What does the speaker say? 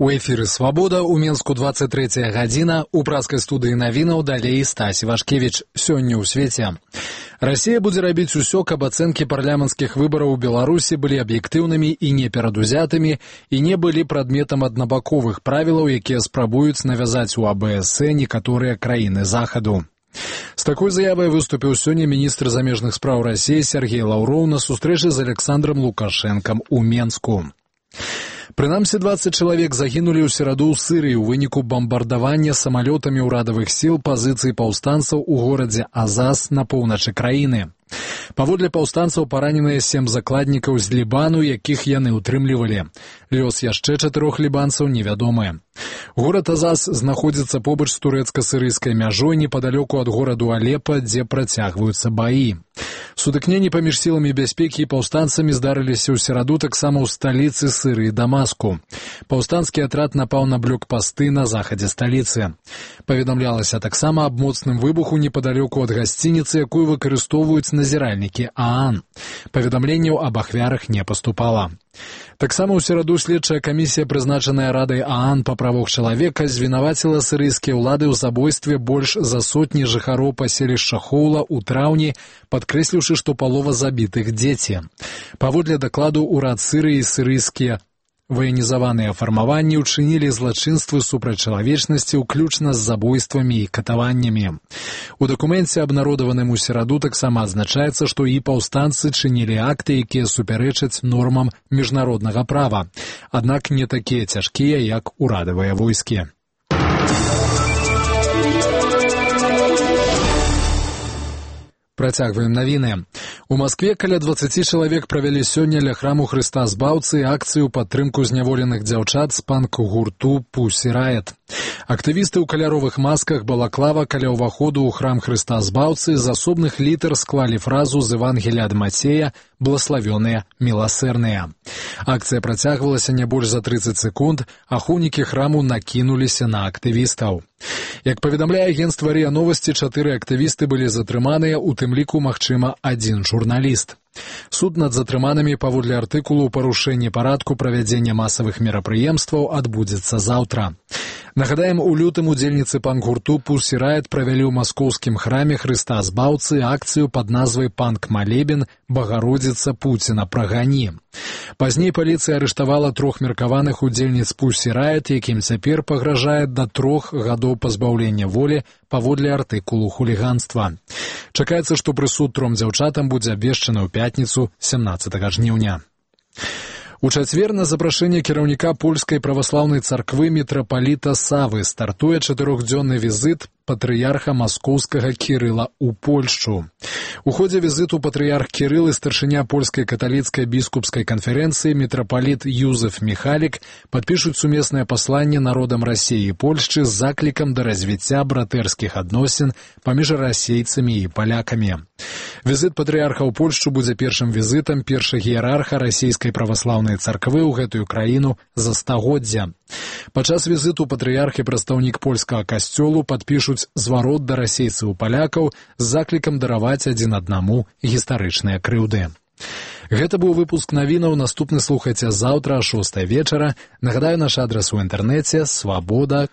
У эфіры «Свабода», у Менску 23 гадзіна, у праскай студыі навінаў далей Стась Вашкевіч. Сёння ў свеце. Расія будзе рабіць усё, каб ацэнкі парламенцкіх выбараў у Беларусі былі аб'ектыўнымі і неперадузятымі і не былі прадметам аднабаковых правілаў, якія спрабуюць навязаць у АБС некаторыя краіны Захаду. З такой заявай выступіў сёння міністр замежных спраў Расіі Сергей Лаўроў на сустрэчы з Александром Лукашэнкам у Менску. Прынамсі 20 чалавек загінулі ў сераду ў Сырыі ў выніку бамбардавання самалётамі ўрадавых сіл пазіцый паўстанцаў у горадзе Азаз на поўначы краіны. Паводле паўстанцаў параненыя 7 закладнікаў з Лібану, якіх яны ўтрымлівалі. Лёс яшчэ 4 лібанцаў невядомы. Горад Азаз знаходзіцца побач з турэцка-сырыйскай мяжой непадалёку ад гораду Алепа, дзе працягваюцца баі. Сутыкненні паміж сіламі бяспекі і паўстанцамі здарыліся ў сераду таксама ў сталіцы Сырыі Дамаску. Паўстанскі атрад напаў на блокпасты на захадзе сталіцы. Паведамлялася таксама аб моцным выбуху непадалёку ад гасцініцы, якую выкарыстоўваюць назіральнікі ААН. Паведамленняў аб ахвярах не паступала. Таксама ў сераду следчая камісія, прызначаная Радай ААН па правах чалавека, звінаваціла сырыйскія ўлады ў забойстве больш за сотні жыхароў паселішча Хоула ў траўні, падкрэсліўшы, што палова забітых дзеці. Паводле дакладу ўрад Сырыі і сырыйскія ваенізаваныя фармаванні ўчынілі злачынствы супраць чалавечнасці, уключна з забойствамі і катаваннямі. У дакуменце, абнародаваным у сераду, таксама адзначаецца, што і паўстанцы чынілі акты, якія супярэчаць нормам міжнароднага права, аднак не такія цяжкія, як урадавыя войскі. Працягваем навіны. У Маскве каля 20 чалавек правялі сёння ля храму Хрыста Збаўцы акцыю ў падтрымку зняволеных дзяўчат з панк-гурту Pussy Riot. Актывісты ў каляровых масках балаклава каля ўваходу ў храм Хрыста Збаўцы з асобных літар склалі фразу з Евангелія ад Мацея «Блаславёныя міласэрныя». Акцыя працягвалася не больш за 30 секунд, ахоўнікі храму накінуліся на актывістаў. Як паведамляе агенцтва РИА Новости, 4 актывісты былі затрыманыя, у тым ліку, магчыма, 1 журналіст. Суд над затрыманымі паводле артыкулу ў парушэнні парадку правядзення масавых мерапрыемстваў адбудзецца заўтра. Нагадаем, у лютым удзельніцы панк-гурту Pussy Riot правялі ў маскоўскім храме Хрыста Збаўцы акцыю пад назвай «Панк-малебен. Багародзіца Пуціна прагані». Пазней паліцыя арыштавала 3 меркаваных удзельніц Pussy Riot, якім цяпер пагражае да 3 гадоў пазбаўлення волі паводле артыкулу хуліганства. Чакаецца, што прысуд 3 дзяўчатам будзе абвешчаны ў пятніцу 17 жніўня. У чацвер на запрашэнне кіраўніка польскай праваслаўнай царквы мітрапаліта Савы стартуе 4-дзённы візіт патрыярха маскоўскага Кірыла ў Польшчу. У ходзе візіту патрыярх Кірыл і старшыня польскай каталіцкай біскупскай канферэнцыі мітрапаліт Юзеф Міхалік падпішуць сумеснае пасланне народам Расіі і Польшчы з заклікам да развіцця братэрскіх адносін паміж расейцамі і палякамі. Візіт патрыярха ў Польшчу будзе першым візітам першага іерарха расійскай праваслаўнай царквы ў гэтую краіну за стагоддзя. Падчас візіту патрыярх і прадстаўнік польскага касцёлу падпішуць зварот да расейцаў і палякаў з заклікам дараваць адзін аднаму гістарычныя крыўды. Гэта быў выпуск навінаў, наступны слухайце заўтра о 6 вечара. Нагадаю, наш адрас у інтэрнэце swaboda.by.